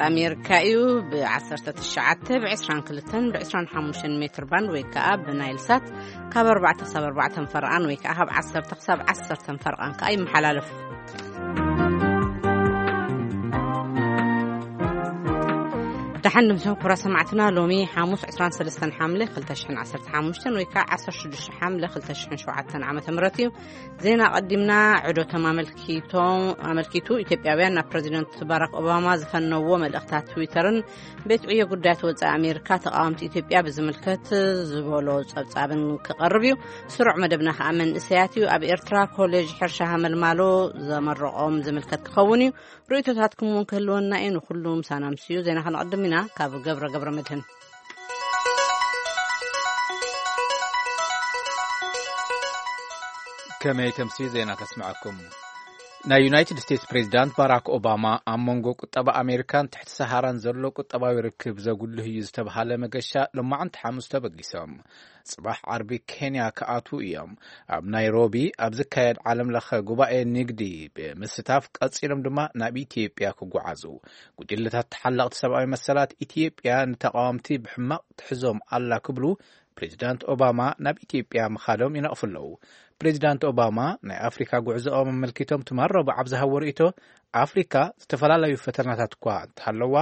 ኣሜሪካ እዩ። ብ19 ብ22 ብ25 ሜትር ባንድ ወይ ከዓ ብናይል ሳት ካብ ኣርባዕተ ክሳብ ኣርባዕተ ፈርቓን ወይ ከዓ ካብ ዓሰርተ ክሳብ ዓሰርተ ፈርቓን ከዓ ይመሓላለፍ። ደሓን ንምስም ክብራ ሰማዕትና፣ ሎሚ ሓሙስ 23 ሓምለ 2015 ወይ ከዓ 16 ሓምለ 2007 ዓመተ ምህረት እዩ። ዜና ቀዲምና። ዕዶቶም ኣመልኪቶም ኣመልኪቱ ኢትዮጵያውያን ናብ ፕሬዚደንት ባራክ ኦባማ ዝፈነዎ መልእኽታት ትዊተርን ቤት ዕዮ ጉዳያት ወፃኢ ኣሜሪካ ተቃወምቲ ኢትዮጵያ ብዝምልከት ዝበሎ ጸብጻብን ክቐርብ እዩ። ስሩዕ መደብና ከዓ መንእሰያት እዩ። ኣብ ኤርትራ ኮሌጅ ሕርሻ ሃመልማሎ ዘመረቆም ዝምልከት ክኸውን እዩ። ርእይቶታትኩም እውን ክህልወና እዩ። ንኩሉ ምሳና ምስዩ ዜና ክንቐድም ኢና። ካብ ገብረ ገብረ መድህን። ከመይ ተምሲ ዜና ከስምዐኩም። ናይ ዩናይትድ ስቴትስ ፕሬዚዳንት ባራክ ኦባማ ኣብ መንጎ ቁጠባ ኣሜሪካን ትሕቲ ሰሃራን ዘሎ ቁጠባዊ ርክብ ዘጉልህ እዩ ዝተብሃለ መገሻ ሎማዕንቲ ሓሙስ ተበጊሶም። ጽባሕ ዓርቢ ኬንያ ክኣትዉ እዮም። ኣብ ናይሮቢ ኣብ ዝካየድ ዓለም ለኸ ጉባኤ ንግዲ ብምስታፍ ቀጺሎም ድማ ናብ ኢትዮጵያ ክጓዓዙ። ጉጅለታት ተሓለቕቲ ሰብኣዊ መሰላት ኢትዮጵያ ንተቃወምቲ ብሕማቕ ትሕዞም ኣላ ክብሉ ፕሬዚዳንት ኦባማ ናብ ኢትዮጵያ ምኻዶም ይነቕፉ ኣለዉ። ፕሬዚዳንት ኦባማ ናይ ኣፍሪካ ጉዕዞኦም ኣመልኪቶም ትማል ረቡዕ ኣብ ዝሃቦ ርእይቶ፣ ኣፍሪካ ዝተፈላለዩ ፈተናታት እኳ እንተሃለዋ፣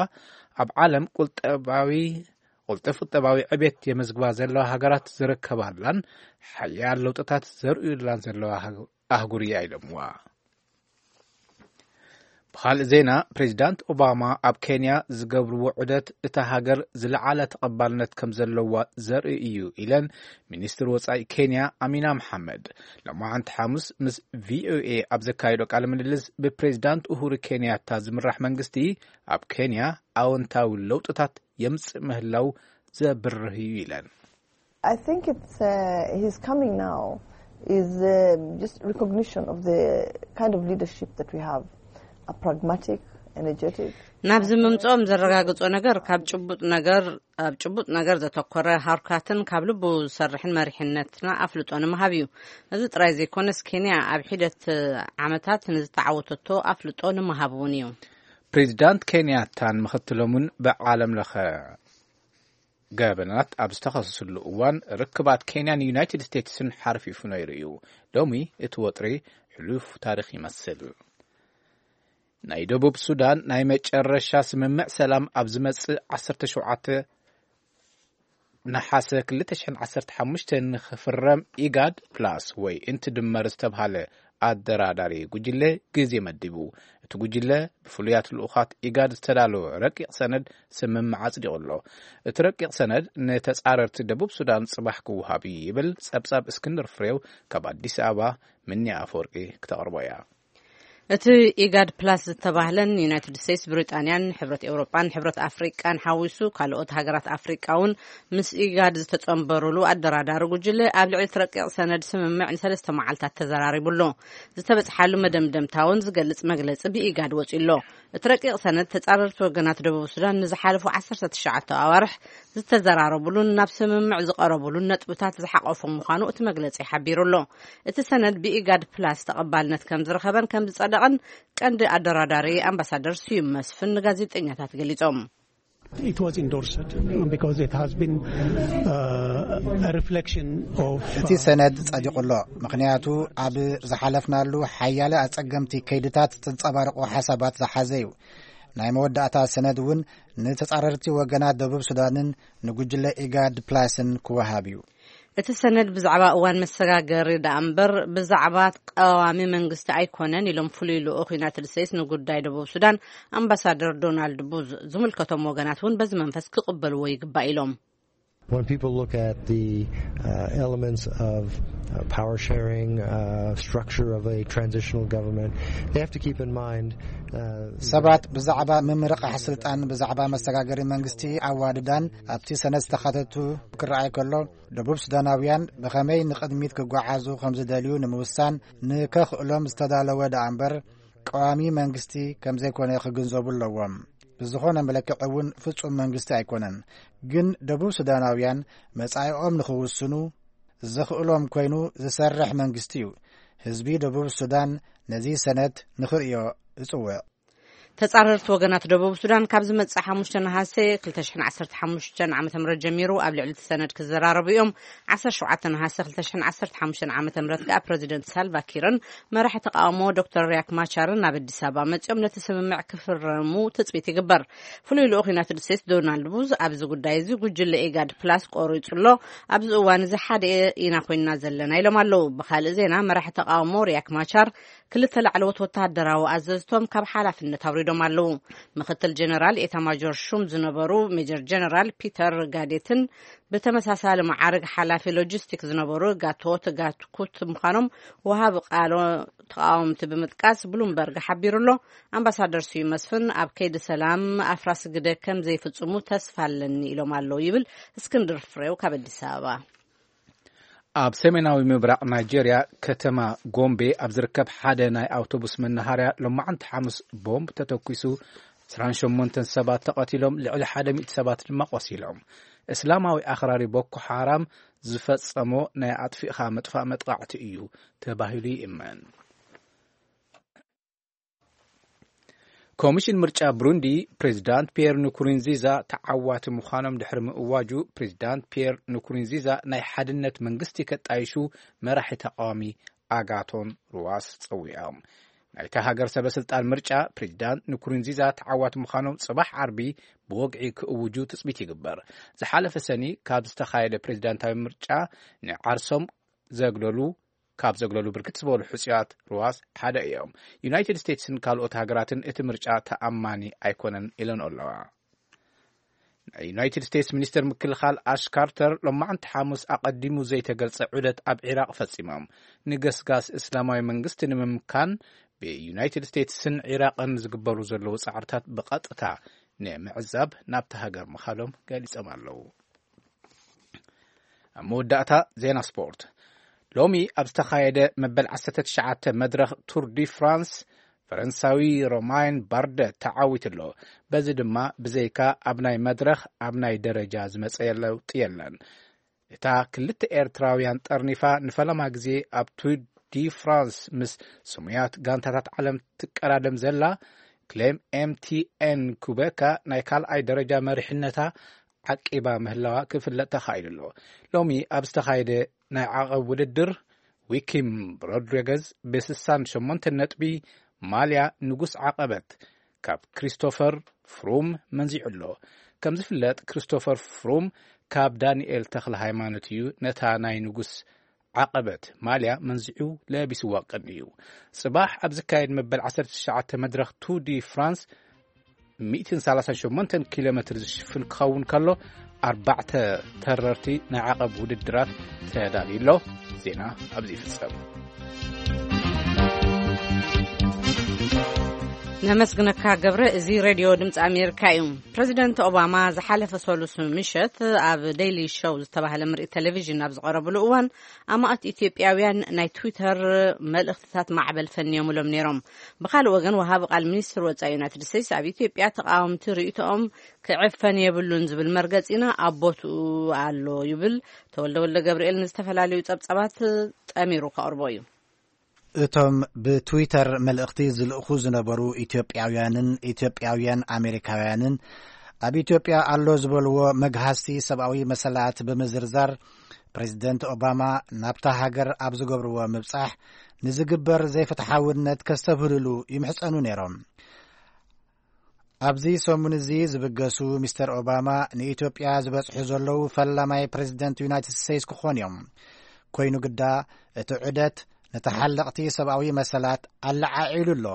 ኣብ ዓለም ቁልጠባዊ ቁልጥፍ ቁጠባዊ ዕቤት የመዝግባ ዘለዋ ሃገራት ዝርከባላን ሓያል ለውጥታት ዘርእዩላን ዘለዋ ኣህጉር እያ ኢሎምዋ። ብኻልእ ዜና፣ ፕሬዚዳንት ኦባማ ኣብ ኬንያ ዝገብርዎ ዑደት እታ ሃገር ዝለዓለ ተቐባልነት ከም ዘለዋ ዘርኢ እዩ ኢለን ሚኒስትር ወጻኢ ኬንያ ኣሚና መሓመድ። ሎማዓንቲ ሓሙስ ምስ ቪኦኤ ኣብ ዘካየዶ ቃለ ምልልስ፣ ብፕሬዚዳንት ኡሁሩ ኬንያታ ዝምራሕ መንግስቲ ኣብ ኬንያ ኣወንታዊ ለውጥታት የምጽእ ምህላው ዘብርህ እዩ ኢለን። I think it's uh, his coming now is uh, just recognition of the kind of leadership that we have, a pragmatic, energetic. ናብዚ ምምፅኦም ዘረጋግጾ ነገር ካብ ጭቡጥ ነገር ኣብ ጭቡጥ ነገር ዘተኮረ፣ ሃርካትን ካብ ልቡ ዝሰርሕን መሪሕነትና ኣፍልጦ ንምሃብ እዩ። እዚ ጥራይ ዘይኮነስ፣ ኬንያ ኣብ ሒደት ዓመታት ንዝተዓወተቶ ኣፍልጦ ንምሃብ እውን እዩ። ፕሬዚዳንት ኬንያታን ምኽትሎምን ብዓለም ለኸ ገበናት ኣብ ዝተኸሰስሉ እዋን፣ ርክባት ኬንያን ዩናይትድ ስቴትስን ሓርፊፉ ነይሩ እዩ። ሎሚ እቲ ወጥሪ ሕሉፍ ታሪኽ ይመስል። ናይ ደቡብ ሱዳን ናይ መጨረሻ ስምምዕ ሰላም ኣብ ዝመጽእ 17 ነሓሰ 2015 ንኽፍረም ኢጋድ ፕላስ ወይ እንትድመር ዝተብሃለ ኣደራዳሪ ጉጅለ ግዜ መዲቡ። እቲ ጉጅለ ብፍሉያት ልኡኻት ኢጋድ ዝተዳለወ ረቂቕ ሰነድ ስምምዕ ኣጽዲቑ ኣሎ። እቲ ረቂቕ ሰነድ ንተጻረርቲ ደቡብ ሱዳን ጽባሕ ክወሃብ እዩ ይብል ጸብጻብ እስክንድር ፍሬው። ካብ ኣዲስ ኣበባ ምኒ ኣፈወርቂ ክተቕርቦ እያ። እቲ ኢጋድ ፕላስ ዝተባህለን ዩናይትድ ስቴትስ፣ ብሪጣንያን ሕብረት ኤውሮጳን ሕብረት ኣፍሪቃን ሓዊሱ ካልኦት ሃገራት ኣፍሪቃ እውን ምስ ኢጋድ ዝተጸንበሩሉ ኣደራዳሪ ጉጅለ ኣብ ልዕሊ እቲ ረቂቕ ሰነድ ስምምዕ ንሰለስተ መዓልታት ተዘራሪቡ ኣሎ። ዝተበጽሓሉ መደምደምታ እውን ዝገልጽ መግለጺ ብኢጋድ ወጺኡ ኣሎ። እቲ ረቂቕ ሰነድ ተጻረርቲ ወገናት ደቡብ ሱዳን ንዝሓለፉ ዓሰርተ ትሽዓተ ኣዋርሕ ዝተዘራረቡሉን ናብ ስምምዕ ዝቐረቡሉን ነጥብታት ዝሓቆፈ ምዃኑ እቲ መግለጺ ሓቢሩ ኣሎ። እቲ ሰነድ ብኢጋድ ፕላስ ተቐባልነት ከም ዝረኸበን ከም ዝጸደቐን ቀንዲ ኣደራዳሪ ኣምባሳደር ስዩም መስፍን ንጋዜጠኛታት ገሊጾም። It was endorsed because it has been uh, a reflection of እቲ ሰነድ ጸዲቑ ኣሎ፣ ምኽንያቱ ኣብ ዝሓለፍናሉ ሓያለ ኣጸገምቲ ከይድታት ዘንጸባርቑ ሓሳባት ዝሓዘ እዩ። ናይ መወዳእታ ሰነድ እውን ንተጻረርቲ ወገናት ደቡብ ሱዳንን ንጉጅለ ኢጋድ ፕላስን ክወሃብ እዩ። እቲ ሰነድ ብዛዕባ እዋን መሰጋገሪ ደኣ እምበር ብዛዕባ ቀዋሚ መንግስቲ ኣይኮነን ኢሎም ፍሉይ ልኡኽ ዩናይትድ ስቴትስ ንጉዳይ ደቡብ ሱዳን ኣምባሳደር ዶናልድ ቡዝ። ዝምልከቶም ወገናት እውን በዚ መንፈስ ክቕበልዎ ይግባእ ኢሎም። When people look at the uh, elements of uh, power sharing, uh, structure of a transitional government, they have to keep in mind uh, ሰባት ብዛዕባ ምምርቓሕ ስልጣን፣ ብዛዕባ መሰጋገሪ መንግስቲ ኣዋድዳን ኣብቲ ሰነድ ዝተኻተቱ ክረኣይ ከሎ፣ ደቡብ ሱዳናውያን ብኸመይ ንቕድሚት ክጓዓዙ ከም ዝደልዩ ንምውሳን ንከኽእሎም ዝተዳለወ ደኣ እምበር፣ ቀዋሚ መንግስቲ ከም ዘይኮነ ክግንዘቡ ኣለዎም። ብዝኾነ መለክዒ እውን ፍጹም መንግስቲ ኣይኮነን። ግን ደቡብ ሱዳናውያን መጻኢኦም ንኽውስኑ ዘኽእሎም ኮይኑ ዝሰርሕ መንግስቲ እዩ። ህዝቢ ደቡብ ሱዳን ነዚ ሰነድ ንኽርእዮ እጽውዕ። ተጻረርቲ ወገናት ደቡብ ሱዳን ካብ ዝመጽእ ሓሙሽተ ነሓሰ ክልተ ሽሕን ዓሰርተ ሓሙሽተን ዓመተ ምህረት ጀሚሩ ኣብ ልዕሊ እቲ ሰነድ ክዘራረቡ እዮም። ዓሰርተ ሸውዓተ ነሓሰ ክልተ ሽሕን ዓሰርተ ሓሙሽተን ዓመተ ምህረት ከኣ ፕረዚደንት ሳልቫ ኪርን መራሒ ተቃውሞ ዶክተር ሪያክ ማቻርን ናብ ኣዲስ ኣበባ መጺኦም ነቲ ስምምዕ ክፍረሙ ትጽቢት ይግበር። ፍሉይ ልኡኽ ዩናይትድ ስቴትስ ዶናልድ ቡዝ ኣብዚ ጉዳይ እዚ ጉጅለ ኢጋድ ፕላስ ቆሪጹ ኣሎ። ኣብዚ እዋን እዚ ሓደ ኢና ኮይንና ዘለና ኢሎም ኣለዉ። ብኻልእ ዜና መራሒ ተቃውሞ ሪያክ ማቻር ክልተ ላዕለዎት ወተሃደራዊ ኣዘዝቶም ካብ ሓላፍነት ኣውሪዶም ኣለዉ። ምክትል ጀነራል ኤታማጆር ሹም ዝነበሩ ሜጀር ጀነራል ፒተር ጋዴትን ብተመሳሳሊ መዓርግ ሓላፊ ሎጂስቲክ ዝነበሩ ጋቶት ጋትኩት ምዃኖም ወሃቢ ቃሎ ተቃወምቲ ብምጥቃስ ብሉምበርግ ሓቢሩ ኣሎ። ኣምባሳደር ስዩ መስፍን ኣብ ከይዲ ሰላም ኣፍራስ ግደ ከም ዘይፍጽሙ ተስፋ ኣለኒ ኢሎም ኣለዉ ይብል እስክንድር ፍሬው ካብ ኣዲስ ኣበባ። ኣብ ሰሜናዊ ምብራቕ ናይጄርያ ከተማ ጎምቤ ኣብ ዝርከብ ሓደ ናይ ኣውቶቡስ መናሃርያ ሎማዕንቲ ሓሙስ ቦምብ ተተኲሱ፣ ዕስራን ሸሞንተን ሰባት ተቐቲሎም፣ ልዕሊ ሓደ ሚእቲ ሰባት ድማ ቆሲሎም። እስላማዊ ኣኽራሪ ቦኮ ሓራም ዝፈጸሞ ናይ ኣጥፊእኻ ምጥፋእ መጥቃዕቲ እዩ ተባሂሉ ይእመን። ኮሚሽን ምርጫ ብሩንዲ፣ ፕሬዚዳንት ፒየር ንኩሩንዚዛ ተዓዋቲ ምዃኖም ድሕሪ ምእዋጁ፣ ፕሬዚዳንት ፒየር ንኩሩንዚዛ ናይ ሓድነት መንግስቲ ከጣይሹ መራሒ ተቃዋሚ ኣጋቶን ሩዋስ ጸዊዖም። ናይታ ሃገር ሰበ ስልጣን ምርጫ፣ ፕሬዚዳንት ንኩሩንዚዛ ተዓዋቲ ምዃኖም ጽባሕ ዓርቢ ብወግዒ ክእውጁ ትጽቢት ይግበር። ዝሓለፈ ሰኒ ካብ ዝተኻየደ ፕሬዚዳንታዊ ምርጫ ንዓርሶም ዘግለሉ ካብ ዘግለሉ ብርክት ዝበሉ ሕጹያት ሩዋስ ሓደ እዮም። ዩናይትድ ስቴትስን ካልኦት ሃገራትን እቲ ምርጫ ተኣማኒ ኣይኮነን ኢለን ኣለዋ። ናይ ዩናይትድ ስቴትስ ሚኒስትር ምክልኻል ኣሽ ካርተር ሎማዕንቲ ሓሙስ ኣቐዲሙ ዘይተገልጸ ዑደት ኣብ ዒራቕ ፈጺሞም። ንገስጋስ እስላማዊ መንግስቲ ንምምካን ብዩናይትድ ስቴትስን ዒራቕን ዝግበሩ ዘለዉ ጻዕርታት ብቐጥታ ንምዕዛብ ናብቲ ሃገር ምኻዶም ገሊጾም ኣለዉ። ኣብ መወዳእታ ዜና ስፖርት። ሎሚ ኣብ ዝተኻየደ መበል ዓሰርተ ትሽዓተ መድረኽ ቱር ዲ ፍራንስ፣ ፈረንሳዊ ሮማይን ባርደ ተዓዊቱ ኣሎ። በዚ ድማ ብዘይካ ኣብ ናይ መድረኽ ኣብ ናይ ደረጃ ዝመጸ ለውጢ የለን። እታ ክልተ ኤርትራውያን ጠርኒፋ ንፈለማ ግዜ ኣብ ቱር ዲ ፍራንስ ምስ ስሙያት ጋንታታት ዓለም ትቀዳደም ዘላ ክሌም ኤምቲኤን ኩበካ ናይ ካልኣይ ደረጃ መሪሕነታ ዓቂባ ምህላዋ ክፍለጥ ተኻኢሉ ኣሎ። ሎሚ ኣብ ዝተኻየደ ናይ ዓቐብ ውድድር ዊኪም ሮድሪገዝ ብስሳን ሸሞንተ ነጥቢ ማልያ ንጉስ ዓቐበት ካብ ክሪስቶፈር ፍሩም መንዚዑ ኣሎ። ከም ዝፍለጥ ክሪስቶፈር ፍሩም ካብ ዳንኤል ተኽለ ሃይማኖት እዩ ነታ ናይ ንጉስ ዓቐበት ማልያ መንዚዑ ለቢስዋ ቀኒ እዩ። ጽባሕ ኣብ ዝካየድ መበል ዓሰርተ ትሽዓተ መድረኽ ቱር ዲ ፍራንስ ሚእትን ሰላሳን ሸሞንተን ኪሎ ሜትር ዝሽፍን ክኸውን ከሎ፣ ኣርባዕተ ተረርቲ ናይ ዓቐብ ውድድራት ተዳልዩ ኣሎ። ዜና ኣብዚ ይፍጸም። ነመስግነካ ገብረ። እዚ ሬድዮ ድምፂ ኣሜሪካ እዩ። ፕረዚደንት ኦባማ ዝሓለፈ ሰሉስ ምሸት ኣብ ዴይሊ ሾው ዝተባህለ ምርኢት ቴሌቪዥን ኣብ ዝቐረብሉ እዋን፣ ኣማእት ኢትዮጵያውያን ናይ ትዊተር መልእኽትታት ማዕበል ፈንዮምሎም ነይሮም። ብኻልእ ወገን፣ ወሃቢ ቃል ሚኒስትር ወጻኢ ዩናይትድ ስቴትስ ኣብ ኢትዮጵያ ተቃወምቲ ርእይቶኦም ክዕፈን የብሉን ዝብል መርገጺና ኣብ ቦትኡ ኣሎ ይብል። ተወልደ ወልደ ገብርኤል ንዝተፈላለዩ ጸብጻባት ጠሚሩ ከቕርቦ እዩ። እቶም ብትዊተር መልእኽቲ ዝልእኹ ዝነበሩ ኢትዮጵያውያንን ኢትዮጵያውያን ኣሜሪካውያንን ኣብ ኢትዮጵያ ኣሎ ዝበልዎ መግሃስቲ ሰብኣዊ መሰላት ብምዝርዛር፣ ፕሬዚደንት ኦባማ ናብታ ሃገር ኣብ ዝገብርዎ ምብጻሕ ንዝግበር ዘይፍትሓውነት ከስተብህልሉ ይምሕጸኑ ነይሮም። ኣብዚ ሰሙን እዚ ዝብገሱ ሚስተር ኦባማ ንኢትዮጵያ ዝበጽሑ ዘለዉ ፈላማይ ፕሬዚደንት ዩናይትድ ስቴትስ ክኾኑ እዮም። ኮይኑ ግዳ፣ እቲ ዑደት ንተሓለቕቲ ሰብኣዊ መሰላት ኣለዓዒሉ ኣሎ።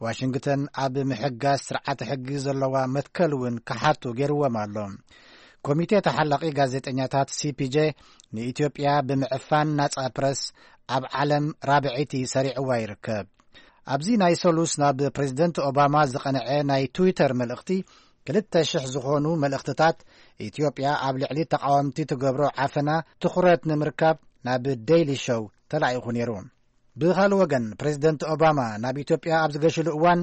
ዋሽንግተን ኣብ ምሕጋዝ ስርዓተ ሕጊ ዘለዋ መትከል እውን ክሓቱ ገይርዎም ኣሎ። ኮሚቴ ተሓላቒ ጋዜጠኛታት ሲፒጄ ንኢትዮጵያ ብምዕፋን ናጻ ፕረስ ኣብ ዓለም ራብዐይቲ ሰሪዕዋ ይርከብ። ኣብዚ ናይ ሰሉስ ናብ ፕሬዚደንት ኦባማ ዝቐንዐ ናይ ትዊተር መልእኽቲ፣ ክልተ ሽሕ ዝኾኑ መልእኽትታት ኢትዮጵያ ኣብ ልዕሊ ተቃወምቲ ትገብሮ ዓፈና ትኹረት ንምርካብ ናብ ዴይሊ ሾው ተላኢኹ ነይሩ። ብኻልእ ወገን፣ ፕሬዚደንት ኦባማ ናብ ኢትዮጵያ ኣብ ዝገሽሉ እዋን፣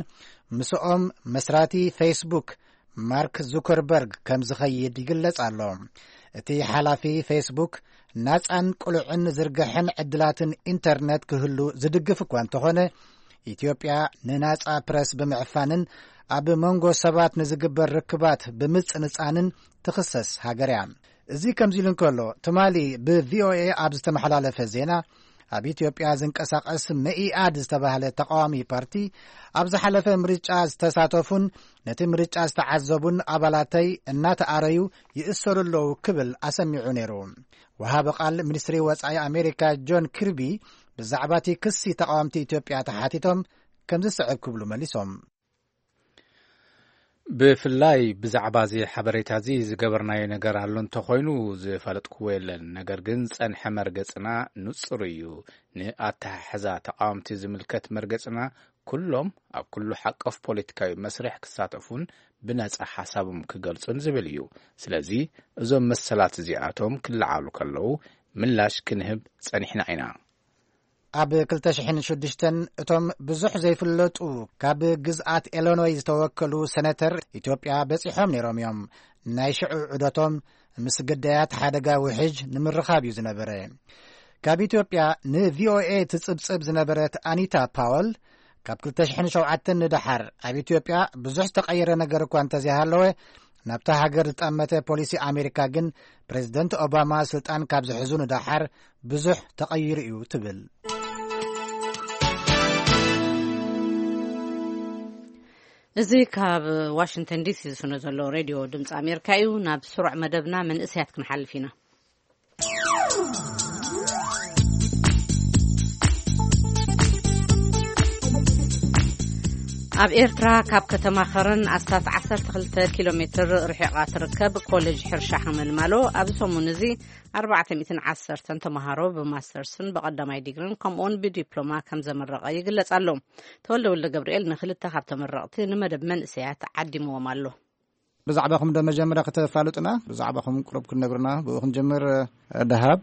ምስኦም መስራቲ ፌስቡክ ማርክ ዙከርበርግ ከም ዝኸይድ ይግለጽ ኣሎ። እቲ ሓላፊ ፌስቡክ፣ ናጻን ቅሉዕን ዝርግሐን ዕድላትን ኢንተርነት ክህሉ ዝድግፍ እኳ እንተኾነ፣ ኢትዮጵያ ንናጻ ፕረስ ብምዕፋንን ኣብ መንጎ ሰባት ንዝግበር ርክባት ብምጽንጻንን ትኽሰስ ሃገር እያ። እዚ ከምዚ ኢሉ እንከሎ፣ ትማሊ ብ ቪ ኦ ኤ ኣብ ዝተመሓላለፈ ዜና፣ ኣብ ኢትዮጵያ ዝንቀሳቐስ መኢኣድ ዝተባህለ ተቃዋሚ ፓርቲ፣ ኣብ ዝሓለፈ ምርጫ ዝተሳተፉን ነቲ ምርጫ ዝተዓዘቡን ኣባላተይ እናተኣረዩ ይእሰሩ ኣለዉ ክብል ኣሰሚዑ ነይሩ። ወሃቢ ቃል ሚኒስትሪ ወጻኢ ኣሜሪካ ጆን ኪርቢ ብዛዕባ እቲ ክሲ ተቃወምቲ ኢትዮጵያ ተሓቲቶም ከምዚ ዝስዕብ ክብሉ መሊሶም። ብፍላይ ብዛዕባ እዚ ሓበሬታ እዚ ዝገበርናዮ ነገር ኣሎ እንተኾይኑ ዝፈለጥክዎ የለን። ነገር ግን ዝጸንሐ መርገጽና ንጹር እዩ። ንኣተሓሕዛ ተቃወምቲ ዝምልከት መርገጽና ኩሎም ኣብ ኩሉ ሓቆፍ ፖለቲካዊ መስርሕ ክሳተፉን ብነጻ ሓሳቦም ክገልጹን ዝብል እዩ። ስለዚ እዞም መሰላት እዚኣቶም ክለዓሉ ከለዉ ምላሽ ክንህብ ጸኒሕና ኢና። ኣብ ክልተ ሽሕን ሽዱሽተን እቶም ብዙሕ ዘይፍለጡ ካብ ግዝኣት ኢሎኖይ ዝተወከሉ ሰነተር ኢትዮጵያ በጺሖም ነይሮም እዮም። ናይ ሽዑ ዑደቶም ምስ ግዳያት ሓደጋ ውሕጅ ንምርኻብ እዩ ዝነበረ። ካብ ኢትዮጵያ ን ቪ ኦ ኤ ትጽብጽብ ዝነበረት ኣኒታ ፓወል፣ ካብ ክልተ ሽሕን ሸውዓተን ንደሓር ኣብ ኢትዮጵያ ብዙሕ ዝተቐየረ ነገር እኳ እንተዘይሃለወ፣ ናብታ ሃገር ዝጠመተ ፖሊሲ ኣሜሪካ ግን ፕሬዝደንት ኦባማ ስልጣን ካብ ዝሕዙ ንደሓር ብዙሕ ተቐይሩ እዩ ትብል። እዚ ካብ ዋሽንግተን ዲ ሲ ዝስነ ዘሎ ሬድዮ ድምፂ ኣሜሪካ እዩ። ናብ ስሩዕ መደብና መንእሰያት ክንሓልፍ ኢና። ኣብ ኤርትራ ካብ ከተማ ኸረን ኣስታት ዓሰርተ ክልተ ኪሎ ሜትር ርሒቓ ትርከብ ኮሌጅ ሕርሻ ሓመልማሎ ኣብዚ ሰሙን እዚ ኣርባዕተ ሚእትን ዓሰርተን ተምሃሮ ብማስተርስን ብቐዳማይ ዲግሪን ከምኡውን ብዲፕሎማ ከም ዘመረቐ ይግለጽ ኣሎ። ተወልደ ወልደ ገብርኤል ንክልተ ካብ ተመረቕቲ ንመደብ መንእሰያት ዓዲምዎም ኣሎ። ብዛዕባኹም ዶ መጀመርያ ከተፋልጡና? ብዛዕባኹም ቁሩብ ክትነግሩና፣ ብኡ ክንጅምር። ደሃብ።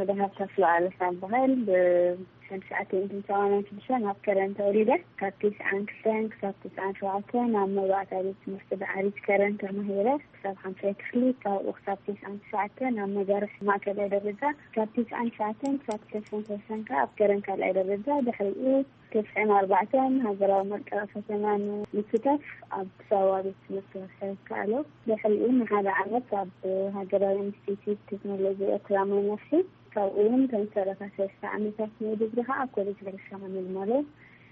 ደሃብ ተስፋ ኣለሳ እበሃል። ብሽሕን ትሽዓተ ሚእትን ሰማንያን ሽዱሽተን ኣብ ከረን ተወሊደ። ካብ ትስዓን ክልተን ክሳብ ትስዓን ሸውዓተን ኣብ መባእታ ቤት ትምህርቲ ዳዕሪት ከረን ተማሂረ። ክሳብ ሓምሳይ ክፍሊ፣ ካብኡ ክሳብ ትስዓን ትሽዓተን ኣብ መጋርሕ ማእከላይ ደረጃ፣ ካብ ትስዓን ትሽዓተን ክሳብ ክልተ ሽሕን ሰለስተን ከኣ ኣብ ከረን ካልኣይ ደረጃ፣ ድሕሪኡ ተስዓን ኣርባዕተን ሃገራዊ መልቀቂ ፈተና ንምስታፍ ኣብ ኣዲስ ኣበባ ቤት ትምህርቲ ክሳብ ይከኣሎ። ድሕሪኡ ንሓደ ዓመት ኣብ ሃገራዊ ኢንስቲትዩት ቴክኖሎጂ ኤርትራ መመርሒ፣ ካብኡ እውን ከም ሰላሳ ሰለስተ ዓመታት ናይ ዲግሪ ከዓ ኣብ ኮሌጅ ሕርሻ ሓመልማሎ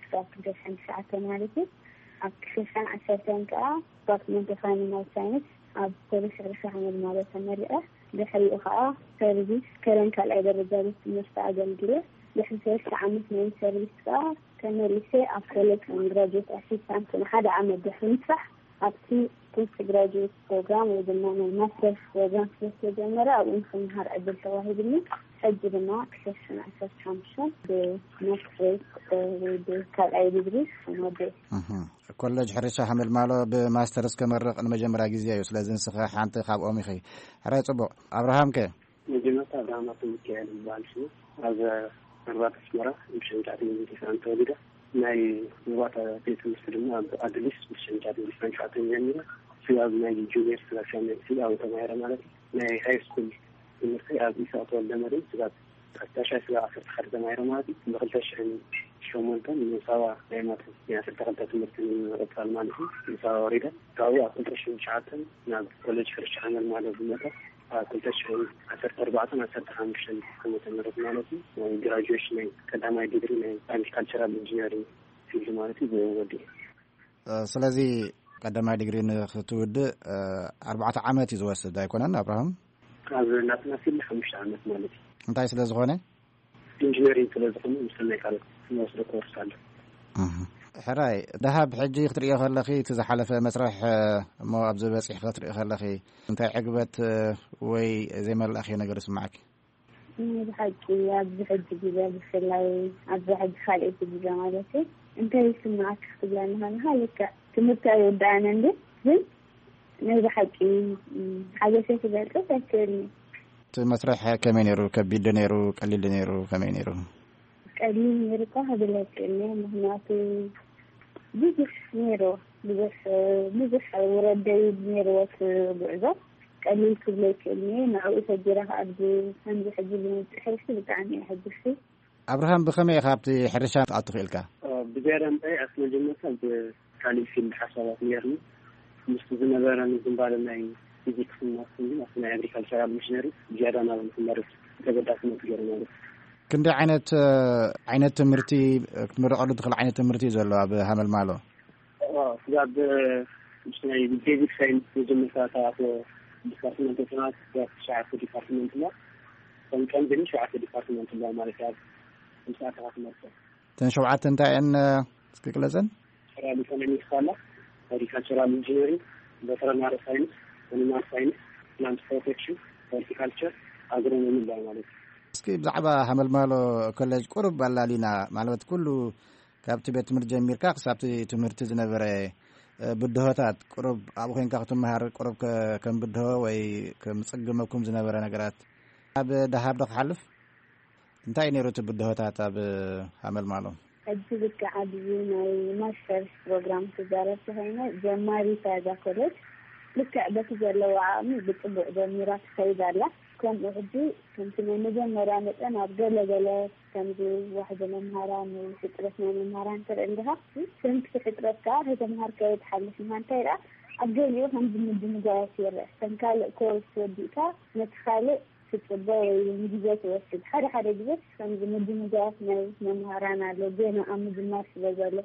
ክሳብ ክልተ ሽሕን ትሽዓተን ማለት እዩ። ኣብ ክልተ ሽሕን ዓሰርተን ከዓ ዲፓርትመንት ኦፍ ኣኒማል ሳይንስ ኣብ ኮሌጅ ሕርሻ ሓመልማሎ ተመሪቐ። ድሕሪኡ ከዓ ሰርቪስ ከረን ካልኣይ ደረጃ ቤት ትምህርቲ ኣገልግለ። ድሕሪ ሰለስተ ዓመት ናይ ሰርቪስ ከዓ ተመሊሰ ኣብ ኮሌጅ ከም ግራጁዌት ኣሲስታንት ንሓደ ዓመት ድሕሪ ምስራሕ ኣብቲ ፖስት ግራጁዌት ፕሮግራም ወይ ድማ ናይ ማስተርስ ፕሮግራም ስለ ዝተጀመረ ኣብኡ ንክምሃር ዕድል ተዋሂብኒ። ሕጂ ድማ ክልተ ሽሕን ዓሰርተ ሓሙሽተን ብማስትሬት ወይ ብካልኣይ ዲግሪ ወደ እህ፣ ኮሌጅ ሕርሻ ሓመልማሎ ብማስተርስ ከመርቕ ንመጀመርያ ግዜ እዩ። ስለዚ ንስኸ ሓንቲ ካብኦም ኢኺ። ሕራይ ጽቡቕ። ኣብርሃም ከ? መጀመርታ ኣብርሃም ኣቶ ሚካኤል ዝበሃል ሽሙ። ኣብ መርባት ኣስመራ ብሽንጫት ሚኒሊክ ተወሊደ። ናይ መባእታ ቤት ትምህርቲ ድማ ኣብ ኣድሊስ ብሽንጫት ሚኒሊክ ሸውዓተ ጀሚረ። ስጋብ ናይ ጁኒየር ስጋብ ሻምናይ ክፍሊ ኣብኡ ተማሂረ ማለት እዩ። ናይ ሃይ ስኩል ትምህርቲ ኣብ ኢሳቅ ተወልደ መድህን ስጋብ ካብ ታሽዓይ ስጋብ ዓሰርተ ሓደ ተማሂረ ማለት እዩ። ብክልተ ሽሕን ሸሞንተን ንሳዋ ናይ ማትሪክ ናይ ዓሰርተ ክልተ ትምህርቲ ንምቕጻል ማለት እዩ ንሳዋ ወሪደ። ካብኡ ኣብ ክልተ ሽሕን ትሽዓተን ናብ ኮሌጅ ሕርሻ ሓመልማሎ ዝመጸ። ኣብ ክልተ ሽሕን ዓሰርተ ኣርባዕተን ዓሰርተ ሓሙሽተን ዓመተ ምህረት ማለት እዩ፣ ናይ ግራጁዌሽን ናይ ቀዳማይ ዲግሪ ናይ ኣግሪካልቸራል ኢንጂነሪንግ ፊልድ ማለት እዩ፣ ብኡ ወዲኤ። እ፣ ስለዚ ቀዳማይ ዲግሪ ንክትውድእ፣ እ፣ ኣርባዕተ ዓመት እዩ ዝወስድ ኣይኮነን ኣብርሃም? ኣብ ናትና ፊልድ ሓሙሽተ ዓመት ማለት እዩ። እንታይ ስለ ዝኾነ? ኢንጂነሪንግ ስለ ዝኾነ፣ ምስ ናይ ካልኦት ንወስዶ ኮርስ ኣሎ። እህ። ሕራይ፣ ደሃብ፣ ሕጂ ክትርእዮ ከለኺ፣ እቲ ዝሓለፈ መስርሕ፣ እ፣ እሞ ኣብዚ በጺሕኺ ክትርእዮ ከለኺ፣ እንታይ ዕግበት፣ እ፣ ወይ ዘይመላእኽዮ ነገር ይስምዓኪ? ናይ ብሓቂ ኣብዚ ሕጂ ግዜ፣ ብፍላይ ኣብዚ ሕጂ ካልኣይቲ ግዜ ማለት እዩ፣ እንታይ ይስምዓኪ ክትብለኒ ከለኻ፣ ልክዕ ትምህርቲ ኣይወዳእን እንዲ፣ ግን ናይ ብሓቂ፣ ም፣ ሓጎሰይ ክገልጽ ኣይክእልን። እቲ መስርሕ ከመይ ነይሩ? ከቢድ ዶ ነይሩ? ቀሊል ዶ ነይሩ? ከመይ ነይሩ? ቀሊል ነይሩ እኳ ክብል ኣይክእልን እየ፣ ምኽንያቱ ብዙሕ ነይሩ፣ ብዙሕ፣ ብዙሕ ውረድ ደይብ ነይርዎ እቲ ጉዕዞ። ቀሊል ክብሎ ኣይክእልን እየ፣ ንዕኡ ሰጊረ ከኣ ኣብዚ ከምዚ ሕጂ ዝመጽእ ሕርሲ ብጣዕሚ እየ ኣሕጒስቲ። ኣብርሃም፣ ብኸመይ ኢኻ ኣብቲ ሕርሻ ክትኣቱ ክኢልካ? ብዝያዳ እንታይ ኣብቲ መጀመርታ ብ-፣ ካልእ ፊልድ ሓሳባት ነይርኒ። ምስቲ ዝነበረኒ ዝንባለ ናይ ፊዚክስ ማትስን ኣብቲ ናይ ኣግሪካልቸራል ሚሽነሪ ዝያዳ ናብኡ ክመርጽ ተገዳስነት ገይሩ ማለት እዩ። ክንደይ ዓይነት፣ እ፣ ዓይነት ትምህርቲ፣ እ፣ ክትምረቐሉ ትኽእል ዓይነት ትምህርቲ እዩ ዘሎ ኣብ ሃመልማሎ? ኦ፣ ስጋብ፣ እ፣ ምስ ናይ ቤዚክ ሳይንስ መጀመርታ ተኣትዎ ዲፓርትመንት ጥናት ስጋብ ትሽዓተ ዲፓርትመንት እሞ፣ ከም ቀንዲ ሸውዓተ ዲፓርትመንት ኣሎ ማለት እዩ። ኣብ ምስኣተኻ ትመርጾ። እተን ሸውዓተ እንታይ እየን፣ እ፣ እስኪ ግለጸን? ናቹራል ኢኮኖሚክስ ኣላ፣ ሆርቲካልቸራል ኢንጂነሪንግ፣ ቨተረናሪ ሳይንስ፣ ኣኒማል ሳይንስ፣ ፕላንት ፕሮቴክሽን፣ ሆርቲካልቸር፣ ኣግሮኖሚ ኣላ ማለት እዩ። እስኪ ብዛዕባ ሃመልማሎ ኮሌጅ ቁሩብ ኣላሊና፣ ማለት ኩሉ ካብቲ ቤት ትምህርቲ ጀሚርካ ክሳብቲ ትምህርቲ ዝነበረ፣ እ፣ ብድሆታት ቁሩብ ኣብኡ ኮይንካ ክትመሃር ቁሩብ ከ-፣ ከም ብድሆ ወይ ከም ጽግመኩም ዝነበረ ነገራት ኣብ ደሃብ ዶ ክሓልፍ? እንታይ እዩ ነይሩ እቲ ብድሆታት ኣብ ሃመልማሎ? ሕጂ ልክዕ ኣብዚ ናይ ማስተርስ ፕሮግራም ክዛረብ ተኾይነ፣ ጀማሪት እያ እዛ ኮሌጅ። ልክዕ በቲ ዘለዎ ዓቕሚ ብጽቡቕ ጀሚራ ትኸይድ ኣላ። ከምኡ ሕጂ ከምቲ ናይ መጀመርያ መጠን ኣብ ገለ ገለ ከምዚ ዋሕዚ መምሃራን ወይ ሕጽረት ናይ መምሃራን ትርኢ እንዲኻ። ከምቲ ሕጽረት ከኣ ከተምሃርካዮ ትሓልፍ ኢኻ። እንታይ ደኣ ኣብ ገሊኡ ከምዚ ምድንጓያት ይርአ። ከም ካልእ ኮርስ ወዲእካ ነቲ ካልእ ትጽበ ወይ እውን ግዜ ትወስድ። ሓደ ሓደ ግዜ ከምዚ ምድንጓያት ናይ መምሃራን ኣሎ፣ ገና ኣብ ምጅማር ስለ ዘሎ።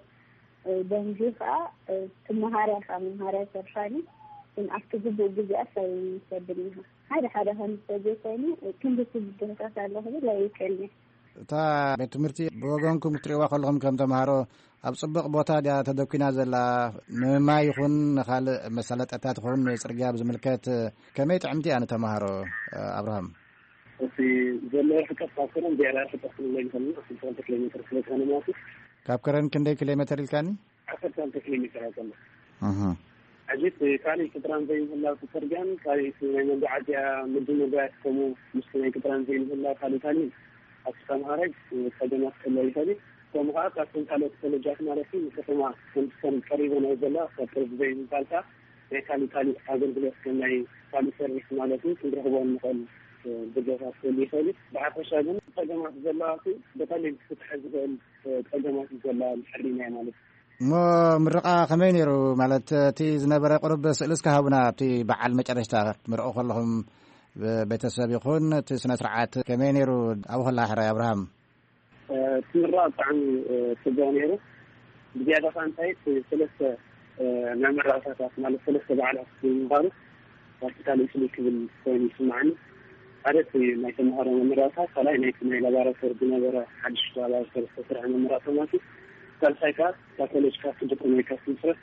እ፣ ደንጉዩ ከኣ፣ እ፣ ትመሃር ኢኻ፣ መምሃሪ ኣይተርፋን እዩ። ግን ኣብቲ ግቡእ ግዜኣስ ኣይወስድን ኢኻ። ሓደ ሓደ ከም ተዘይኮይኑ፣ እ፣ ክንድቲ ብድሆታት ኣሎ ክብል ኣይክእልን እየ። እታ ቤት ትምህርቲ ብወገንኩም ክትርእይዋ ከለኹም ከም ተምሃሮ ኣብ ጽቡቕ ቦታ ድያ ተደኲና ዘላ? ንማይ ይኹን ንኻልእ መሳለጥያታት ይኹን ንጽርግያ ብዝምልከት ከመይ ጥዕምቲ እያ ንተምሃሮ፣ ኣብርሃም? እቲ ዘሎ ርሕቀት ካብ ከረን ዝያዳ ርሕቀት ክንብሎ ኣይንኽእልን ኢና። ዓሰርተ ክልተ ኪሎ ሜትር ስለ ዝኾነ ማለት እዩ። ካብ ከረን ክንደይ ኪሎ ሜትር ኢልካኒ? ዓሰርተ ክልተ ኪሎ ሜትር እያ ዘላ። እህ። ሕጂ እቲ ካልእ ቅጥራን ዘይምህላው እቲ ጽርግያን ካልእ እቲ ናይ መጓዓዝያ ምድንጓያት ከምኡ ምስቲ ናይ ቅጥራን ዘይምህላው ካልእ ካልእ ኣብቲ ተምሃራይ ጸገማት ክህልዎ ይኽእል እዩ። ከምኡ ከኣ ካብተን ካልኦት ኮለጃት ማለት እዩ ንከተማ ከምቲ ከም ቀሪበን እየ ዘለዋ ካብ ቅርብ ዘይምባል ከኣ ናይ ካልእ ካልእ ኣገልግሎት ከም ናይ ካልእ ሰርቪስ ማለት እዩ ክንረኽቦ እንኽእል ጉድለታት ክህሉ ይኽእል እዩ። ብሓፈሻ ግን ጸገማት ዘለዋ እቲ ብቐሊል ክፍትሐ ዝኽእል ጸገማት እዩ ዘለዋ ድሕሪና ማለት እዩ። እሞ ምርቓ ከመይ ነይሩ? ማለት እቲ ዝነበረ ቁሩብ ስእሊ እስከ ሃቡና፣ ኣብቲ በዓል መጨረሽታ ክትምርቑ ከለኹም ብ-፣ ቤተሰብ ይኹን እቲ ስነ ስርዓት ከመይ ነይሩ? ኣብኡ ከላ ሕራይ ኣብርሃም። እ፣ እቲ ምርቓ ብጣዕሚ፣ እ፣ ጽቡቕ ነይሩ። ብዝያዳ ከኣ እንታይ እቲ ሰለስተ፣ እ፣ መመረቕታታት ማለት ሰለስተ በዓላት ብምንባሩ ሆስፒታል ኢስሊ ክብል ኮይኑ ይስምዓኒ። ሓደ እቲ ናይ ተምሃሮ መመረቕታ፣ ካልኣይ ናይቲ ናይ ላቦራቶሪ ዝነበረ ሓድሽ ላቦራቶሪ ዝተሰርሐ መመረቕታ ማለት እዩ። ሳልሳይ ከኣ እታ ኮሌጅ ካብ ትድቁን ወይ ካብ ትምስረት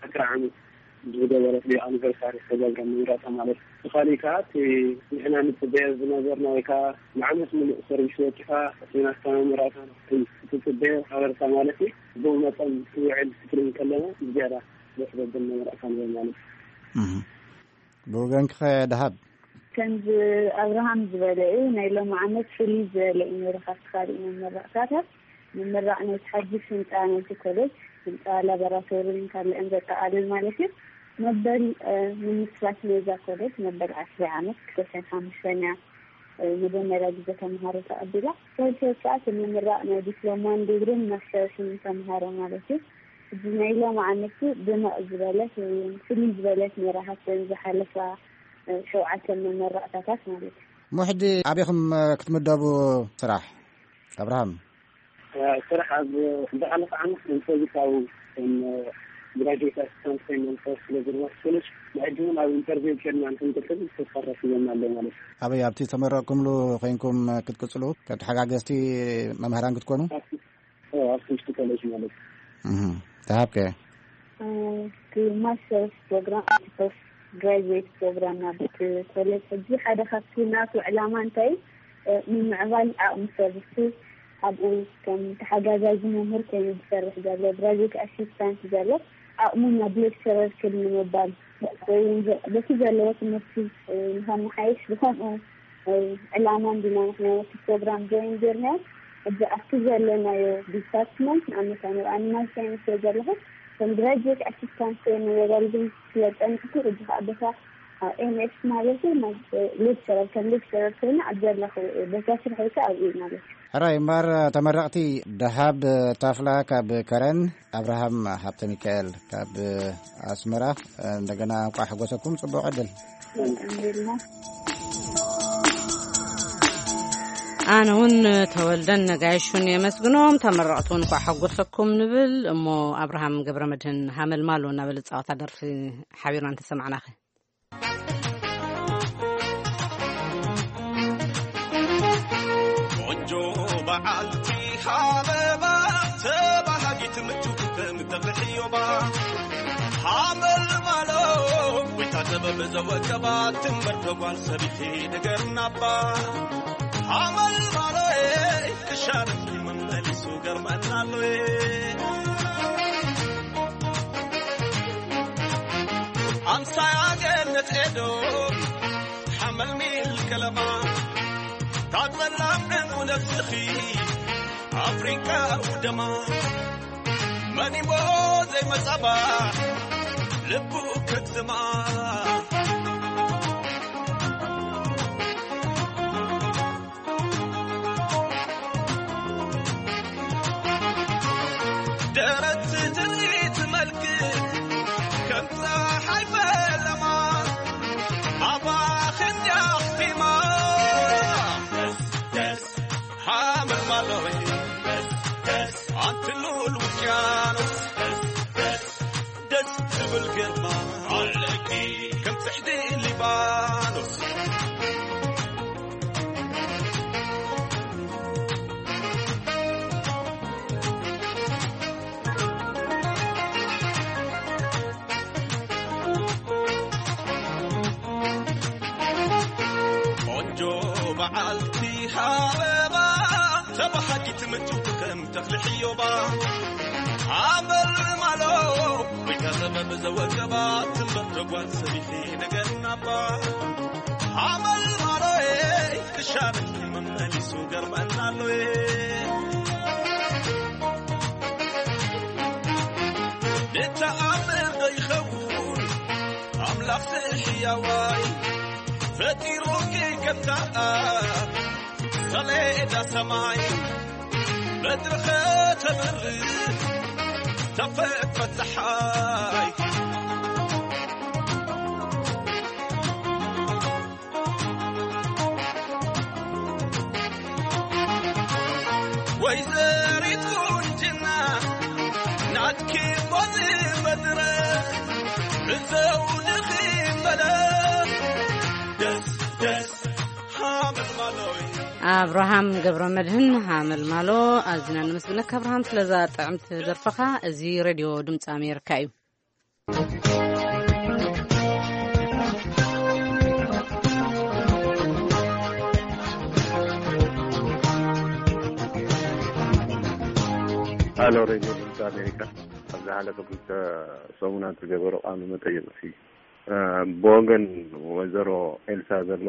ዕስራ ዓመት ዝገበረት ዶ ኣኒቨርሳሪ ዝተገብረ መመረቕታ ማለት እዩ። እቲ ካሊእ ከኣ እቲ ንሕና ንጽበዮ ዝነበርና ወይ ከኣ ንዓመት ምሉእ ሰርቪስ ወጢኻ እቲ ናትካ መመረቕታ ክትጽበዮ ሓበሬታ ማለት እዩ። ብኡ መጠን ክውዕል ክትርኢ ከለና ብዝያዳ ደስ ዘብል መመረቕታ ነይሩ ማለት እዩ። እህ። ብወገንኪ ኸ ደሃብ? ከምዚ ኣብርሃም ዝበለ እዩ፣ ናይ ሎሚ ዓመት ፍልይ ዝበለ እዩ ነይሩ ካብቲ ካልእ መመረቕታታት። ምምራቕ ናይቲ ሓድሽ ህንጻ ናይቲ ኮሌጅ፣ ህንጻ ላቦራቶሪን ካልእን ዘጠቓልል ማለት እዩ። መበል፣ እ፣ ምምስራት ናይዛ ኮሌጅ መበል ዓስሪ ዓመት ክልተ ሽሕን ሓሙሽተን እያ፣ እ፣ መጀመርያ ግዜ ተምሃሮ ተቐቢላ። ሳልሳይ ከኣ እቲ ምምራቕ ናይ ዲፕሎማን ዲግሪን ማስተርስን ተምሃሮ ማለት እዩ። እዚ ናይ ሎሚ ዓመት ድምቕ ዝበለት ወይ ፍልይ ዝበለት ነይራ ካብተን ዝሓለፋ፣ እ፣ ሸውዓተ መመረቕታታት ማለት እዩ። እሞ ሕጂ ኣበይኹም፣ እ፣ ክትምደቡ ስራሕ? ኣብርሃም። እ፣ ስራሕ ኣብ ዝሓለፈ ዓመት ከም ሰርቪስ ኣብ፣ ከም፣ እ፣ ግራጁዌት ኣሲስታንት ኮይነ ንሰርሕ ስለ ዝነበርኩ ኮሌጅ፣ ንሕጂ እውን ኣብ ኢንተርቪው ኬድና ንክንቅጽል ተስፋ ተሲቦና ኣሎ ማለት እዩ። ኣበይ? ኣብቲ ዝተመረቕኩምሉ ኮይንኩም ክትቅጽሉ፣ ካብ ተሓጋገዝቲ መምሃራን ክትኮኑ? ኣብቲ፣ እ፣ ኣብቲ ውሽጢ ኮሌጅ ማለት እዩ። እህ። ተሃብከ? እ፣ እቲ ማስተርስ ፕሮግራም፣ እቲ ፖስት ግራጁዌት ፕሮግራም ናብቲ ኮሌጅ ሕጂ ሓደ ካብቲ ናቱ ዕላማ እንታይ፣ እ፣ ምምዕባል ዓቕሚ ሰብ እቲ ኣብኡ ከም ተሓጋጋዚ መምህር ኮይኑ ዝሰርሕ ዘሎ ግራጁዌት ኣሲስታንት ዘሎ ዓቕሙ ናብ ሌክቸረር ክል ንምባል ወይ እውን ዘ-፣ በቲ ዘለዎ ትምህርቲ፣ እ፣ ንኸመሓይሽ ብኸምኡ፣ እ፣ ዕላማ እንዲና ንሕና ነቲ ፕሮግራም ጆይን ጌርናዮ። ሕጂ ኣብቲ ዘለናዮ ዲፓርትመንት ንኣብነት ኣነ ኣብ ኣኒማል ሳይንስ እየ ዘለኹ። ከም ግራጁዌት ኣሲስታንት ኮይነ የገልግል ስለ ጸኒሕኩ፣ ሕጂ ከኣ በታ ኤምኤስ ማለት እዩ። ናብ ሌክቸረር፣ ከም ሌክቸረር ኮይኑ ኣብ ዘለኹ ቦታ ስርሐይ ከኣ ኣብኡ እዩ ማለት እዩ። ሕራይ እምበኣር፣ ተመረቕቲ ደሃብ ታፍላ ካብ ከረን፣ ኣብርሃም ሃብተ ሚካኤል ካብ ኣስመራ፣ እንደገና እንቋዕ ሓጎሰኩም፣ ጽቡቕ ዕድል። ኣልሓምዱሊላህ። ኣነ እውን ተወልደን ነጋይሹን የመስግኖም፣ ተመረቕቲ እውን እንኳዕ ሓጎሰኩም ንብል። እሞ ኣብርሃም ገብረ መድህን ሃመልማሎ እናበለ ዝጻወታ ደርፊ ሓቢርና እንተሰማዕናኸ? ቆንጆ በዓልቲ ሃበባ፣ ተባሃጊት ምችውቲ ከም ተኽሊ ዕዮባ። ሃመልማሎ፣ ጎይታ ጥበብ ዘወቀባ፣ ትንበር ተጓል ሰቢኺ ንገርናባ። ሃመልማሎ፣ ክሻርኪ መመሊሱ ገርመናሎ። ኣምሳያ ገነት ኤዶም፣ ሓመልሚል ከለማ፣ ካብ ጸላም ዕንቁ ነፍስኺ፣ ኣፍሪቃ ውደማ። መን እሞ ዘይመጻባ፣ ልቡ ከትማ። ደረት ትርኢት መልክ ከም ፀሓይ ፈለማ፣ ኣባኽን ያኽቲማ። ደስ ደስ ሃመልማሎይ፣ ደስ ደስ ኣንቲ ልኡል ውቅያኖስ፣ ደስ ደስ ደስ ትብል ግርማ ኣለኪ ከም ጽሕዲ ሊባኖስ። ቆንጆ በዓልቲ ሃበባ፣ ተባሃጊት ምጭውቲ ከም ተኽሊ ሕዮባ። ኣመል ማሎ፣ ወይ ከዘበብ ዘወገባ፣ ትንበር ተጓል ሰቢኺ ነገርናባ። ኣመል ማሎ፣ ክሻርኪ መመሊሱ ገርመናሎ። ንተኣምር ዶ ይኸውን ኣምላኽ ሕያዋይ፣ ፈጢሩኪ ከምታ ሰሌዳ ሰማይ፣ ምድሪ ኸተብርህ ተፈጥሮ ጸሓይ። ወይዘሪት ቁንጅና ናትኪ ሞት መድረኽ ብዘውድኺ ፈለኽ ደስ ደስ ሃመልማሎይ። ኣብርሃም ገብረ መድህን ሃመልማሎ፣ ኣዝና ነመስግነካ ኣብርሃም ስለዛ ጥዕምቲ ደርፍኻ። እዚ ሬድዮ ድምፂ ኣሜሪካ እዩ። ሃሎ ሬድዮ ድምፂ ኣሜሪካ፣ ኣብ ዝሓለፈ ክልተ ሰሙናት ዝገበሮ ቃለ መጠይቕ ሲ፣ እ፣ ብወገን ወይዘሮ ኤልሳ ዘሎ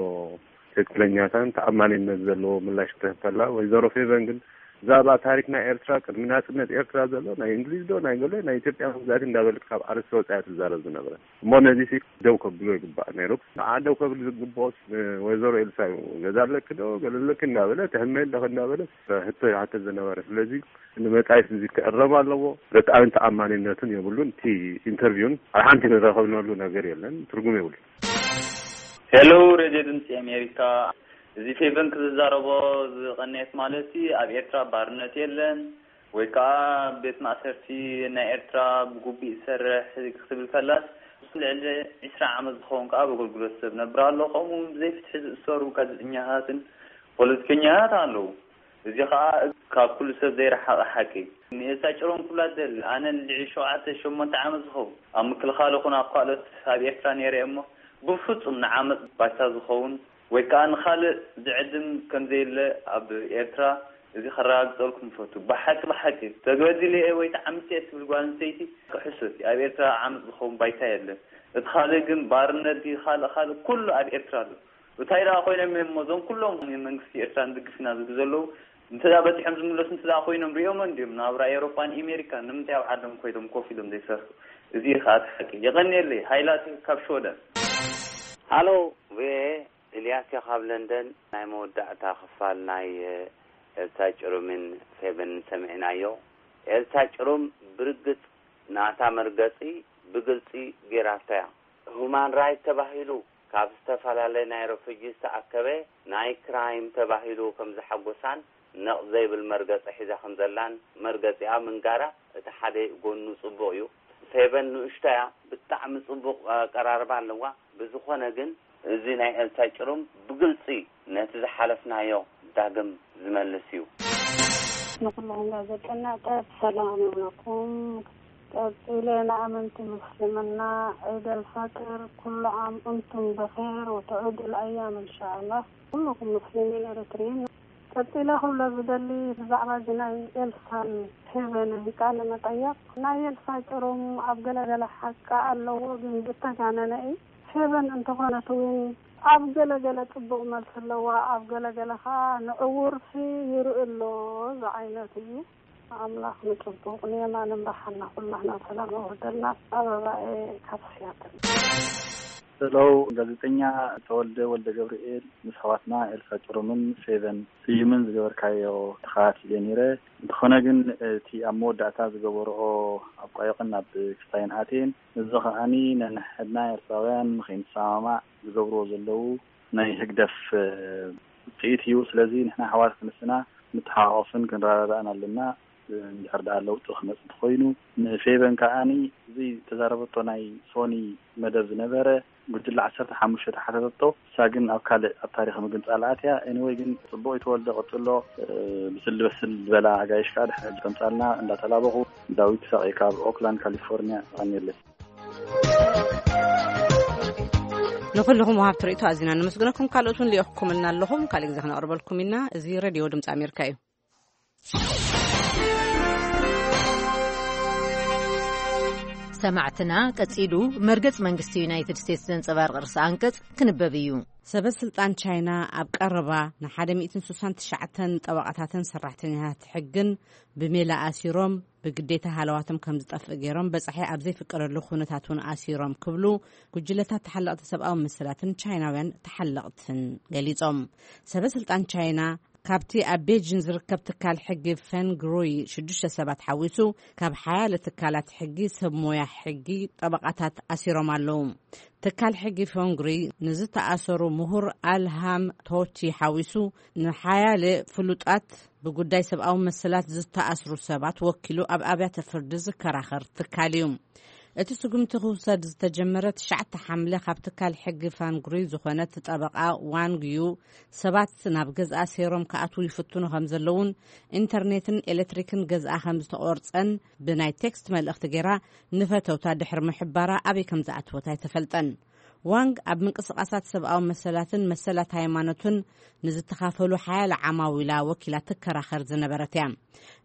ትክክለኛታን ተኣማኒነት ዘለዎ ምላሽ ክትህብ ከላ፣ ወይዘሮ ፌቨን ግን ብዛዕባ ታሪክ ናይ ኤርትራ፣ ቅድሚ ናጽነት ኤርትራ ዘሎ ናይ እንግሊዝ ዶ ናይ ገለ ናይ ኢትዮጵያ መግዛእቲ እንዳበለት ካብ ኣርእስቲ ወጻኢ ትዛረብ ዝነበረ። እሞ ነዚ ሲ ደው ከብሎ ይግባእ ነይሩ። ንዓ ደው ከብል ዝግብኦስ፣ እ፣ ወይዘሮ ኤልሳ እዩ። ገዛ ኣለኪ ዶ ገለ ኣለኪ እንዳበለ፣ ትሕመ ኣለኺ እንዳበለ፣ ሕቶ ይሓትት ዝነበረ። ስለዚ ንመጻኢስ እዚ ክእረም ኣለዎ። ርትዓዊን ተኣማኒነትን የብሉን። እቲ ኢንተርቪውን ኣብ ሓንቲ ንረኸብነሉ ነገር የለን፣ ትርጉም የብሉን። ሄሎ፣ ሬድዮ ድምፂ ኣሜሪካ። እዚ ፌቨን ክዝዛረቦ ዝቐነየት ማለት ኣብ ኤርትራ ባርነት የለን ወይ ከዓ ቤት ማእሰርቲ ናይ ኤርትራ ብጉቡእ ይሰርሕ ክትብል ከላስ፣ ልዕሊ ዕስራ ዓመት ዝኸውን ከዓ ኣብ ኣገልግሎት ሰብ ነብር ኣሎ። ከምኡ እውን ብዘይ ፍትሒ ዝእሰሩ ጋዜጠኛታትን ፖለቲከኛታት ኣለዉ። እዚ ኸኣ ካብ ኩሉ ሰብ ዘይረሓቐ ሓቂ። ንኤልሳ ጭሮም ክብላ እደሊ፣ ኣነ ንልዕሊ ሸውዓተ ሸሞንተ ዓመት ዝኸውን ኣብ ምክልኻል ይኹን ኣብ ካልኦት ኣብ ኤርትራ ነይረ እየ እሞ፣ ብፍጹም ንዓመጽ ባይታ ዝኸውን ወይ ከኣ ንኻልእ ዝዕድም ከም ዘየለ ኣብ ኤርትራ፣ እዚ ከረጋግጸልኩም እፈቱ። ብሓቂ፣ ብሓቂ፣ ተበዲለ እየ ወይ ተዓሚጸ እየ ትብል ጓል ኣንስተይቲ፣ ሕሶት እዩ። ኣብ ኤርትራ ዓመጽ ዝኸውን ባይታ የለን። እቲ ካልእ ግን ባርነት ድዩ፣ ካልእ፣ ካልእ፣ ኩሉ ኣብ ኤርትራ ኣሎ። እንታይ ደኣ ኮይኖም እዮም እሞ እዞም ኩሎም መንግስቲ ኤርትራ ንድግፍ ኢና ዝብሉ ዘለዉ፣ እንተ ደኣ በጺሖም ዝምለሱ እንተ ደኣ ኮይኖም ሪኦሞ እንድዮም ናብራ ኤውሮጳን ኤሜሪካን፣ ንምንታይ ኣብ ዓዶም ኮይኖም ኮፍ ኢሎም ዘይሰርሑ? እዚ እዩ ከኣ እቲ ሓቂ። የቐንየለይ። ሃይላት ካብ ሽወደን። ኣሎ። ቪኦኤ፣ ኢልያስ እየ ካብ ለንደን። ናይ መወዳእታ ክፋል ናይ ኤልሳ ጭሩምን ፌቨንን ሰሚዕናዮ። ኤልሳ ጭሩም ብርግጽ ናታ መርገጺ ብግልጺ ጌራቶ እያ። ሁማን ራይት ተባሂሉ ካብ ዝተፈላለየ ናይ ረፉጂ ዝተኣከበ ናይ ክራይም ተባሂሉ ከም ዝሓጎሳን ነቕ ዘይብል መርገጺ ሒዛ ከም ዘላን መርገጺኣ ምንጋራ እቲ ሓደ ጎኑ ጽቡቕ እዩ። ፌቨን ንእሽቶ እያ፣ ብጣዕሚ ጽቡቕ ኣቀራርባ ኣለዋ። ብዝኾነ ግን እዚ ናይ ኤልሳ ጭሩም ብግልጺ ነቲ ዝሓለፍናዮ ዳግም ዝመልስ እዩ። ንኩልኹም ጋዜጠኛታት ሰላም ይብለኩም። ቀጺለ ንኣመንቲ ምስልምና ዒድ ኣልፈጥር ኩሉ ዓም እንቱም ብኼር ወተዑድ ኣልኣያም እንሻኣላህ ኩልኹም ሙስሊሚን ኤርትሪን። ቀጺለ ክብሎ ዝደሊ ብዛዕባ እዚ ናይ ኤልሳን ፌቨንን ቃለ መጠየቕ፣ ናይ ኤልሳ ጭሩም ኣብ ገለገለ ሓቂ ኣለዎ፣ ግን ዝተጋነነ እዩ። ፌቨን እንተኾነት እውን ኣብ ገለገለ ጽቡቕ መልሲ ኣለዋ፣ ኣብ ገለገለ ኸኣ ንዕውርሲ ይርኢ ኣሎ ዝዓይነት እዩ። ኣምላኽ ንጽቡቕ ንየማን እምርሓና ኩላህና ሰላም ኣውርደልና። ኣበባኤ ካብ ስያትል። ሄለው ጋዜጠኛ ተወልደ ወልደ ገብርኤል ምስ ኣሕዋትና ኤልሳ ጭሩምን ፌቨን ስዩምን ዝገበርካዮ ተኸታቲለ ነይረ። እንተኾነ ግን እቲ ኣብ መወዳእታ ዝገበርኦ ኣብ ቋዮቕን ኣብ ክስታይን ኣትየን፣ እዚ ከኣኒ ነንሕድና ኤርትራውያን ንኸይንሰማማዕ ዝገብርዎ ዘለዉ ናይ ህግደፍ ውፅኢት እዩ። ስለዚ ንሕና ኣሕዋት ክንስና ንተሓቋቆፍን ክንረዳዳእን ኣለና። እንድሕር ደኣ ለውጢ ክመጽእ እንተኾይኑ፣ ንፌቨን ከኣኒ እዚ ተዛረበቶ ናይ ሶኒ መደብ ዝነበረ ጉጅለ ዓሰርተ ሓሙሽተ ተሓተተቶ። እሳ ግን ኣብ ካልእ ኣብ ታሪኽ ምግንጻል ኣትያ። ኤኒወይ ግን ጽቡቕ ይተወልደ ቀጽሎ። ብስል በስል ዝበላ ኣጋይሽ ከኣ ድሕሪ ከምጻልና እንዳተላበኹ ዳዊት ሳቂ ካብ ኦክላንድ ካሊፎርኒያ። ኣሜለይ። ንኹልኹም ወሃብቲ ርእይቶ ኣዚና ነመስግነኩም። ካልኦት እውን ልኢኹምልና ኣለኹም። ካልእ ግዜ ክነቕርበልኩም ኢና። እዚ ሬድዮ ድምፂ ኣሜሪካ እዩ። ሰማዕትና ቀጺሉ መርገጽ መንግስቲ ዩናይትድ ስቴትስ ዘንጸባርቕ ርእሰ ኣንቀጽ ክንበብ እዩ። ሰበ ስልጣን ቻይና ኣብ ቀረባ ንሓደ ሚእትን ስሳን ትሽዓተን ጠበቓታትን ሰራሕተኛታት ሕግን ብሜላ ኣሲሮም ብግዴታ ሃለዋቶም ከም ዝጠፍእ ገይሮም በጻሒ ኣብ ዘይፍቀደሉ ኩነታት እውን ኣሲሮም ክብሉ ጉጅለታት ተሓለቕቲ ሰብኣዊ መሰላትን ቻይናውያን ተሓለቕትን ገሊጾም። ሰበ ስልጣን ቻይና ካብቲ ኣብ ቤጂን ዝርከብ ትካል ሕጊ ፈንግሩይ ሽዱሽተ ሰባት ሓዊሱ ካብ ሓያለ ትካላት ሕጊ ሰብ ሞያ ሕጊ ጠበቓታት ኣሲሮም ኣለዉ። ትካል ሕጊ ፈንግሩይ ንዝተኣሰሩ ምሁር ኣልሃም ቶቲ ሓዊሱ ንሓያለ ፍሉጣት ብጉዳይ ሰብኣዊ መሰላት ዝተኣስሩ ሰባት ወኪሉ ኣብ ኣብያተ ፍርዲ ዝከራኸር ትካል እዩ። እቲ ስጉምቲ ክውሰድ ዝተጀመረ ትሽዓተ ሓምለ ካብ ትካል ሕጊ ፋንግሩይ ዝኾነት ጠበቓ ዋንግ ዩ ሰባት ናብ ገዝኣ ሴሮም ክኣትዉ ይፍትኑ ከም ዘለውን ኢንተርኔትን ኤሌክትሪክን ገዝኣ ከም ዝተቖርጸን ብናይ ቴክስት መልእኽቲ ገይራ ንፈተውታ ድሕሪ ምሕባራ ኣበይ ከም ዝኣተወት ኣይተፈልጠን። ዋንግ ኣብ ምንቅስቓሳት ሰብኣዊ መሰላትን መሰላት ሃይማኖትን ንዝተኻፈሉ ሓያለ ዓማዊላ ወኪላ ትከራኸር ዝነበረት እያ።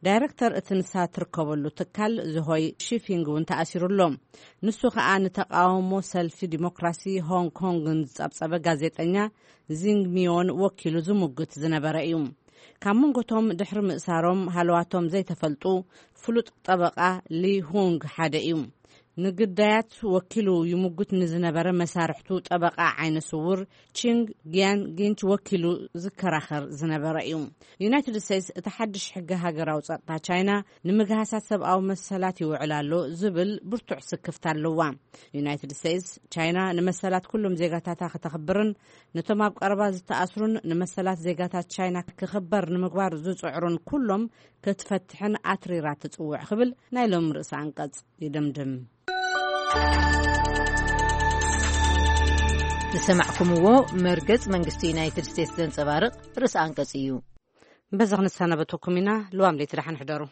ዳይረክተር እቲ ንሳ ትርከበሉ ትካል ዝሆይ ሺፊንግ እውን ተኣሲሩ ኣሎ። ንሱ ከኣ ንተቃውሞ ሰልፊ ዲሞክራሲ ሆንግ ኮንግን ዝጸብጸበ ጋዜጠኛ ዚንግ ሚዮን ወኪሉ ዝሙግት ዝነበረ እዩ። ካብ መንጎቶም ድሕሪ ምእሳሮም ሃለዋቶም ዘይተፈልጡ ፍሉጥ ጠበቓ ሊ ሁንግ ሓደ እዩ። ንግዳያት ወኪሉ ይሙግት ንዝነበረ መሳርሕቱ ጠበቓ ዓይነ ስውር ቺንግ ጊያን ጊንች ወኪሉ ዝከራኸር ዝነበረ እዩ። ዩናይትድ ስቴትስ እቲ ሓድሽ ሕጊ ሃገራዊ ጸጥታ ቻይና ንምግሃሳት ሰብኣዊ መሰላት ይውዕል ኣሎ ዝብል ብርቱዕ ስክፍታ ኣለዋ። ዩናይትድ ስቴትስ ቻይና ንመሰላት ኩሎም ዜጋታታ ከተኽብርን ነቶም ኣብ ቀረባ ዝተኣስሩን ንመሰላት ዜጋታት ቻይና ክኽበር ንምግባር ዝጽዕሩን ኩሎም ክትፈትሕን ኣትሪራ ትጽውዕ ክብል ናይ ሎም ርእሰ ኣንቀጽ ይድምድም። ዝሰማዕኩምዎ መርገጽ መንግስቲ ዩናይትድ ስቴትስ ዘንጸባርቕ ርእሰ ኣንቀጽ እዩ። በዚ ክንሰናበተኩም ኢና። ልዋም ለይቲ ደሓን ሕደሩ።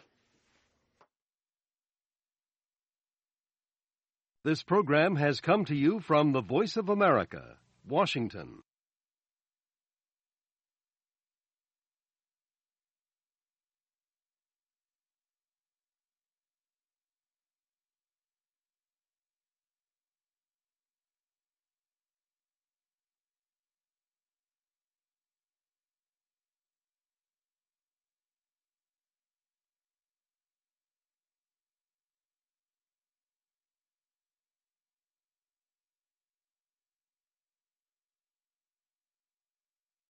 This program has come to you from the Voice of America, Washington.